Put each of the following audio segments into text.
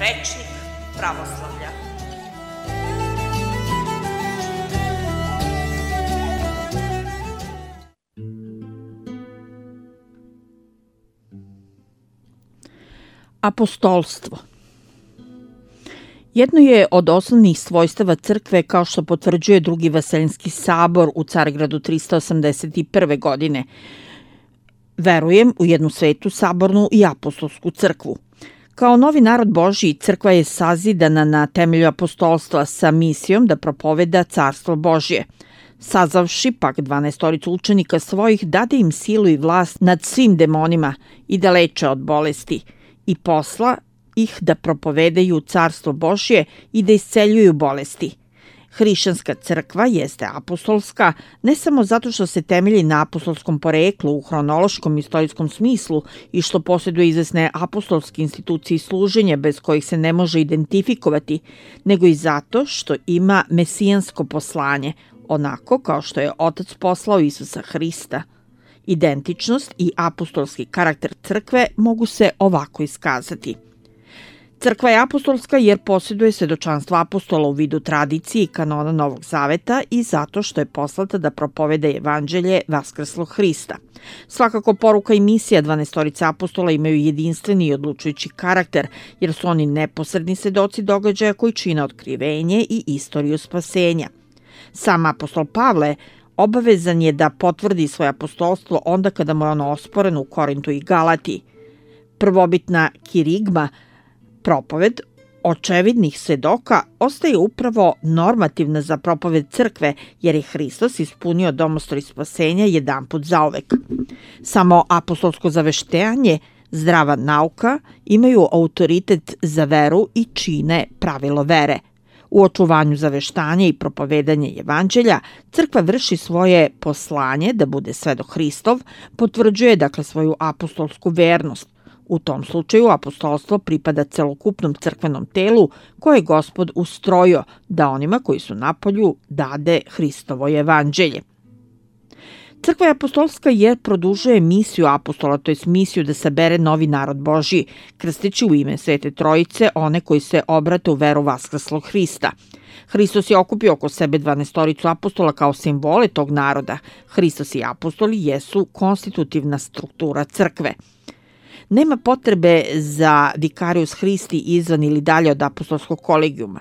Rečnik pravoslavlja. Apostolstvo. Jedno je od osnovnih svojstava crkve, kao što potvrđuje Drugi Vaseljenski sabor u Carigradu 381. godine. Verujem u jednu svetu, sabornu i apostolsku crkvu. Kao novi narod Božji, crkva je sazidana na temelju apostolstva sa misijom da propoveda carstvo Božje. Sazavši pak 12 učenika svojih, dade im silu i vlast nad svim demonima i da leče od bolesti i posla ih da propovedaju carstvo Božje i da isceljuju bolesti. Hrišćanska crkva jeste apostolska ne samo zato što se temelji na apostolskom poreklu u hronološkom i istorijskom smislu i što posjeduje izvesne apostolske institucije i služenje bez kojih se ne može identifikovati, nego i zato što ima mesijansko poslanje, onako kao što je Otac poslao Isusa Hrista. Identičnost i apostolski karakter crkve mogu se ovako iskazati. Crkva je apostolska jer posjeduje svedočanstvo apostola u vidu tradicije i kanona Novog Zaveta i zato što je poslata da propoveda evanđelje vaskrslog Hrista. Svakako poruka i misija 12 apostola imaju jedinstveni i odlučujući karakter, jer su oni neposredni svedoci događaja koji čine otkrivenje i istoriju spasenja. Sam apostol Pavle obavezan je da potvrdi svoje apostolstvo onda kada mu je ono osporeno u Korintu i Galatiji. Prvobitna kirigma, propoved očevidnih svedoka, ostaje upravo normativna za propoved crkve, jer je Hristos ispunio domostroj spasenja jedanput zauvek. Samo apostolsko zaveštenje, zdrava nauka imaju autoritet za veru i čine pravilo vere. U očuvanju zaveštanja i propovedanja evanđelja, crkva vrši svoje poslanje da bude svedok Hristov, potvrđuje dakle svoju apostolsku vernost. U tom slučaju apostolstvo pripada celokupnom crkvenom telu koje je Gospod ustrojio da onima koji su napolju dade Hristovo evanđelje. Crkva je apostolska jer produžuje misiju apostola, to je misiju da sabere novi narod Božji, krsteći u ime Svete Trojice one koji se obrate u veru vaskrslog Hrista. Hristos je okupio oko sebe 12 apostola kao simbole tog naroda. Hristos i apostoli jesu konstitutivna struktura crkve. Nema potrebe za vicarius Christi izvan ili dalje od apostolskog kolegijuma.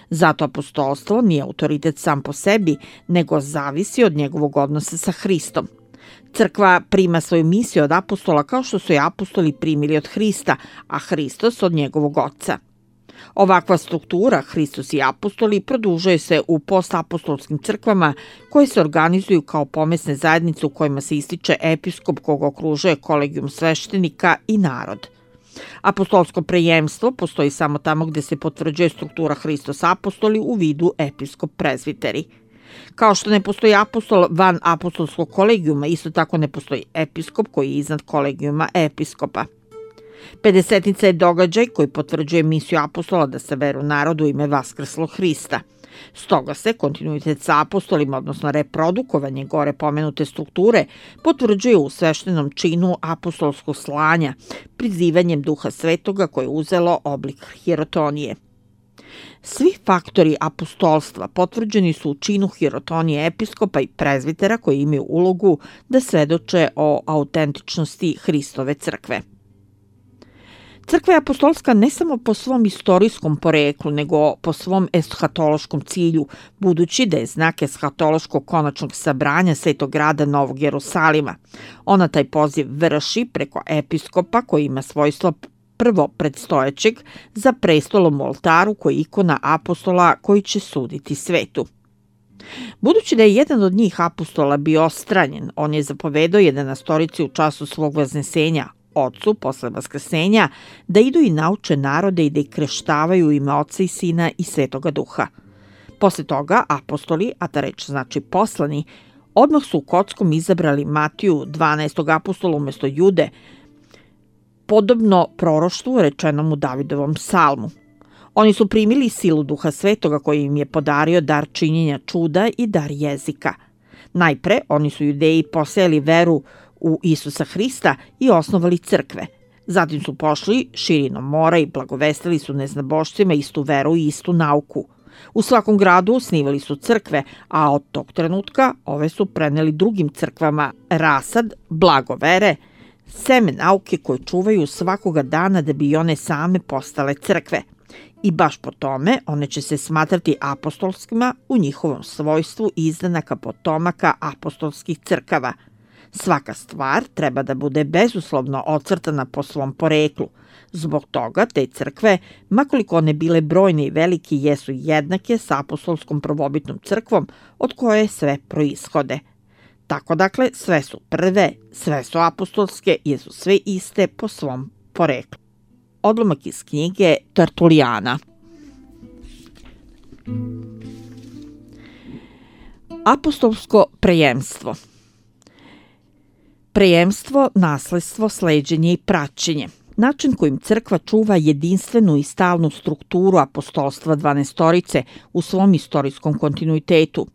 Zato apostolstvo nije autoritet sam po sebi, nego zavisi od njegovog odnosa sa Hristom. Crkva prima svoju misiju od apostola kao što su je apostoli primili od Hrista, a Hristos od njegovog oca. Ovakva struktura, Hristos i apostoli, produžuje se u postapostolskim crkvama koje se organizuju kao pomesne zajednice u kojima se ističe episkop koga okružuje kolegijum sveštenika i narod. Apostolsko prejemstvo postoji samo tamo gde se potvrđuje struktura Hristos apostoli u vidu episkop prezviteri. Kao što ne postoji apostol van apostolskog kolegijuma, isto tako ne postoji episkop koji je iznad kolegijuma episkopa. Pedesetnica je događaj koji potvrđuje misiju apostola da saberu narodu ime vaskrslog Hrista. Stoga se kontinuitet sa apostolima, odnosno reprodukovanje gore pomenute strukture, potvrđuje u sveštenom činu apostolskog slanja, prizivanjem Duha Svetoga koje je uzelo oblik hirotonije. Svi faktori apostolstva potvrđeni su u činu hirotonije episkopa i prezvitera koji imaju ulogu da svedoče o autentičnosti Hristove crkve. Crkva je apostolska ne samo po svom istorijskom poreklu, nego po svom eshatološkom cilju, budući da je znak eshatološkog konačnog sabranja Svetog grada Novog Jerusalima. Ona taj poziv vrši preko episkopa koji ima svojstvo prvo predstojećeg za prestolom u oltaru koji je ikona apostola koji će suditi svetu. Budući da je jedan od njih apostola bio ostranjen, on je zapovedao 11 u času svog vaznesenja, Ocu, posle vaskrsenja, da idu i nauče narode i da ih kreštavaju u ime Oca i Sina i Svetoga Duha. Posle toga apostoli, a ta reč znači poslani, odmah su u kockom izabrali Matiju, 12. apostola umesto Jude, podobno proroštvu rečenom u Davidovom psalmu. Oni su primili silu Duha Svetoga koji im je podario dar činjenja čuda i dar jezika. Najpre, oni su Judeji posejali veru u Isusa Hrista i osnovali crkve. Zatim su pošli širinom mora i blagovestili su neznabošcima istu veru i istu nauku. U svakom gradu osnivali su crkve, a od tog trenutka ove su preneli drugim crkvama rasad, blago vere, seme nauke koje čuvaju svakoga dana da bi one same postale crkve. I baš po tome one će se smatrati apostolskima u njihovom svojstvu izdanaka potomaka apostolskih crkava. Svaka stvar treba da bude bezuslovno ocrtana po svom poreklu. Zbog toga te crkve, makoliko one bile brojne i velike, jesu jednake sa apostolskom prvobitnom crkvom od koje sve proishode. Tako dakle, sve su prve, sve su apostolske, jesu sve iste po svom poreklu. Odlomak iz knjige Tertulijana. Apostolsko prejemstvo. Prejemstvo, nasledstvo, sleđenje i praćenje. Način kojim crkva čuva jedinstvenu i stalnu strukturu apostolstva dvanaestorice u svom istorijskom kontinuitetu.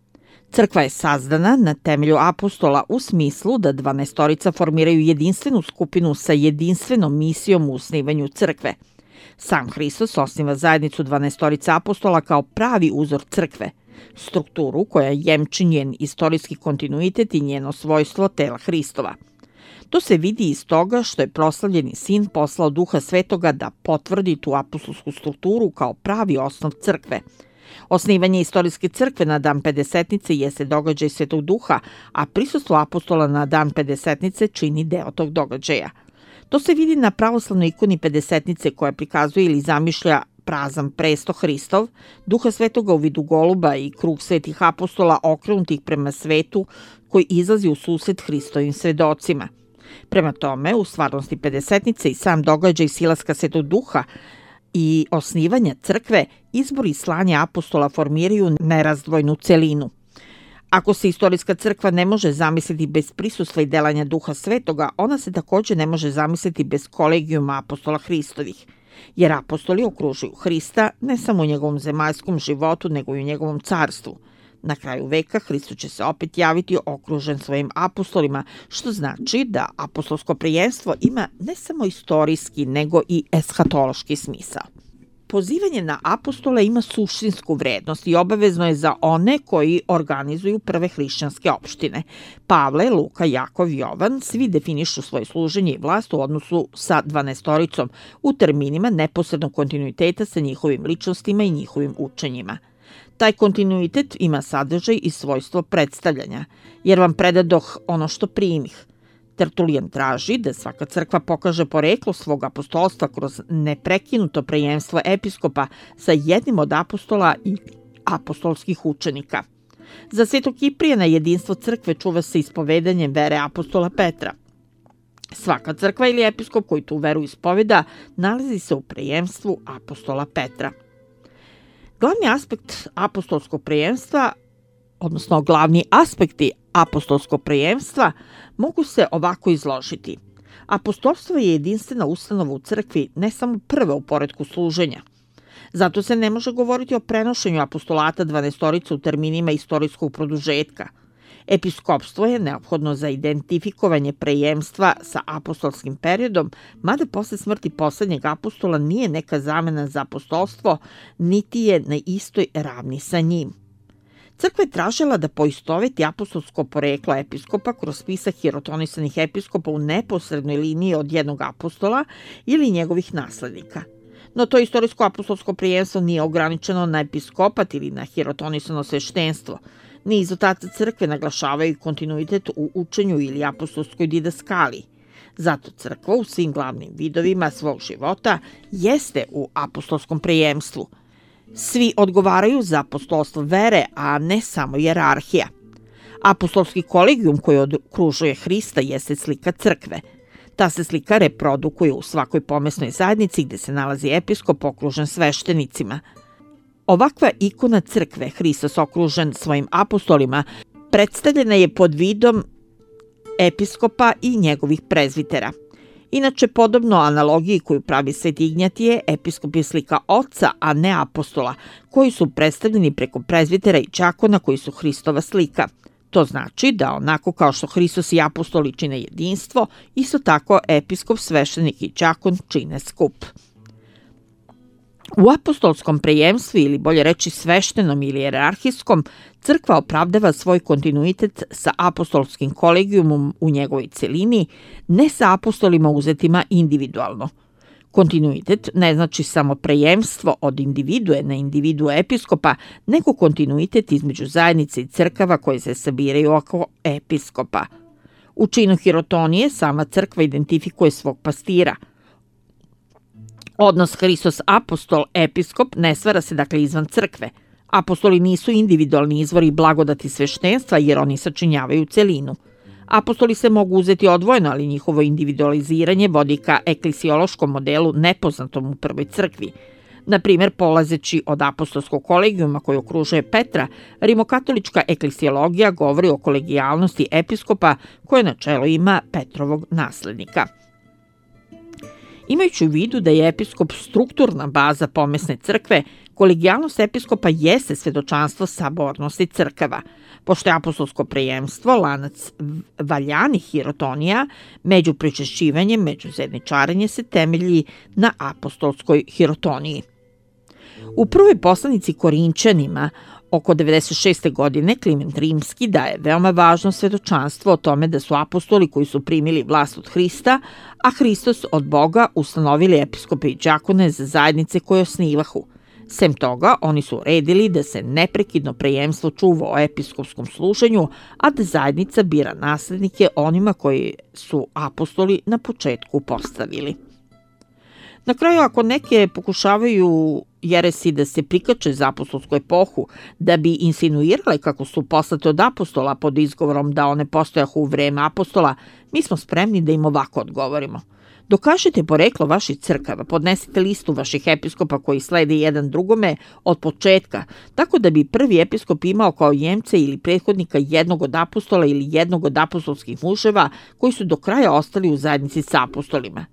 Crkva je sazdana na temelju apostola u smislu da dvanaestorica formiraju jedinstvenu skupinu sa jedinstvenom misijom u osnivanju crkve. Sam Hristos osniva zajednicu dvanaestorica apostola kao pravi uzor crkve, strukturu koja jemči njen istorijski kontinuitet i njeno svojstvo tela Hristova. To se vidi iz toga što je proslavljeni sin poslao Duha Svetoga da potvrdi tu apostolsku strukturu kao pravi osnov crkve. Osnivanje istorijske crkve na dan Pedesetnice jeste događaj Svetog Duha, a prisustvo apostola na dan Pedesetnice čini deo tog događaja. To se vidi na pravoslavnoj ikoni Pedesetnice koja prikazuje ili zamišlja prazan presto Hristov, Duha Svetoga u vidu goluba i krug svetih apostola okrenutih prema svetu koji izlazi u susret Hristovim svedocima. Prema tome, u stvarnosti Pedesetnice i sam događaj silaska Svetog Duha i osnivanja crkve, izbor i slanje apostola formiraju nerazdvojnu celinu. Ako se istorijska crkva ne može zamisliti bez prisustva i delanja Duha Svetoga, ona se takođe ne može zamisliti bez kolegijuma apostola Hristovih, jer apostoli okružuju Hrista ne samo u njegovom zemaljskom životu, nego i u njegovom carstvu. Na kraju veka Hristos će se opet javiti okružen svojim apostolima, što znači da apostolsko prijenstvo ima ne samo istorijski, nego i eshatološki smisao. Pozivanje na apostole ima suštinsku vrednost i obavezno je za one koji organizuju prve hrišćanske opštine. Pavle, Luka, Jakov, Jovan svi definišu svoje služenje i vlast u odnosu sa dvanaestoricom u terminima neposrednog kontinuiteta sa njihovim ličnostima i njihovim učenjima. Taj kontinuitet ima sadržaj i svojstvo predstavljanja, jer vam predadoh ono što primih. Tertulijan traži da svaka crkva pokaže poreklo svog apostolstva kroz neprekinuto prejemstvo episkopa sa jednim od apostola i apostolskih učenika. Za Svetog Kiprijana jedinstvo crkve čuva se ispovedanjem vere apostola Petra. Svaka crkva ili episkop koji tu veru ispoveda nalazi se u prejemstvu apostola Petra. Glavni aspekt apostolskog prejemstva, odnosno glavni aspekti apostolskog prejemstva, mogu se ovako izložiti. Apostolstvo je jedinstvena ustanova u crkvi, ne samo prva u poretku služenja. Zato se ne može govoriti o prenošenju apostolata dvanaestorice u terminima istorijskog produžetka. Episkopstvo je neophodno za identifikovanje prejemstva sa apostolskim periodom, mada posle smrti poslednjeg apostola nije neka zamena za apostolstvo, niti je na istoj ravni sa njim. Crkva je tražila da poistoveti apostolsko poreklo episkopa kroz spisak hirotonisanih episkopa u neposrednoj liniji od jednog apostola ili njegovih naslednika. No to istorijsko apostolsko prijemstvo nije ograničeno na episkopat ili na hirotonisano sveštenstvo. Niz otaca crkve naglašavaju kontinuitet u učenju ili apostolskoj didaskaliji. Zato crkva u svim glavnim vidovima svog života jeste u apostolskom prijemstvu. Svi odgovaraju za apostolstvo vere, a ne samo jerarhija. Apostolski kolegijum koji okružuje Hrista jeste slika crkve. Ta se slika reprodukuje u svakoj pomesnoj zajednici gde se nalazi episkop okružen sveštenicima. Ovakva ikona crkve, Hristos okružen svojim apostolima, predstavljena je pod vidom episkopa i njegovih prezvitera. Inače, podobno analogiji koju pravi Sveti Ignjatije, episkop je slika oca, a ne apostola, koji su predstavljeni preko prezvitera i đakona koji su Hristova slika. To znači da onako kao što Hristos i apostoli čine jedinstvo, isto tako episkop, sveštenik i đakon čine skup. U apostolskom prejemstvu, ili bolje reći sveštenom ili jerarhijskom, crkva opravdava svoj kontinuitet sa apostolskim kolegijumom u njegovoj celini, ne sa apostolima uzetima individualno. Kontinuitet ne znači samo prejemstvo od individue na individue episkopa, nego kontinuitet između zajednice i crkava koje se sabiraju oko episkopa. U činu hirotonije sama crkva identifikuje svog pastira. Odnos Hristos apostol episkop ne stvara se dakle izvan crkve. Apostoli nisu individualni izvori blagodati sveštenstva jer oni sačinjavaju celinu. Apostoli se mogu uzeti odvojeno, ali njihovo individualiziranje vodi ka eklesiološkom modelu nepoznatom u prvoj crkvi. Na primjer, polazeći od apostolskog kolegijuma koji okružuje Petra, rimokatolička eklesiologija govori o kolegijalnosti episkopa koje na čelu ima Petrovog naslednika. Imajući u vidu da je episkop strukturna baza pomesne crkve, kolegijalnost episkopa jeste svedočanstvo sabornosti crkava. Pošto je apostolsko prejemstvo lanac valjanih hirotonija, među pričešćivanjem, međuzajedničarenje se temelji na apostolskoj hirotoniji. U prvoj poslanici Korinčanima oko 96. godine Kliment Rimski daje veoma važno svedočanstvo o tome da su apostoli koji su primili vlast od Hrista, a Hristos od Boga ustanovili episkope i đakone za zajednice koje osnivahu. Sem toga, oni su uredili da se neprekidno prejemstvo čuva o episkopskom služenju, a da zajednica bira naslednike onima koji su apostoli na početku postavili. Na kraju, ako neke pokušavaju jeresi da se prikače za apostolsku epohu, da bi insinuirale kako su poslate od apostola pod izgovorom da one postojahu u vreme apostola, mi smo spremni da im ovako odgovorimo. Dokažite poreklo vaših crkava, podnesite listu vaših episkopa koji slede jedan drugome od početka, tako da bi prvi episkop imao kao jemca ili prethodnika jednog od apostola ili jednog od apostolskih muževa koji su do kraja ostali u zajednici sa apostolima.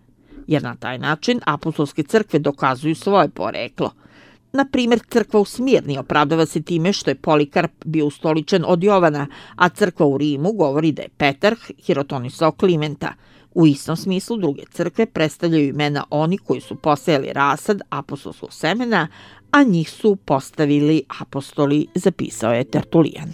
Jer na taj način apostolske crkve dokazuju svoje poreklo. Na primjer, crkva u Smirni opravdava se time što je Polikarp bio ustoličen od Jovana, a crkva u Rimu govori da je Petar hirotonisao Klimenta. U istom smislu druge crkve predstavljaju imena oni koji su posejali rasad apostolskog semena, a njih su postavili apostoli, zapisao je Tertulijan.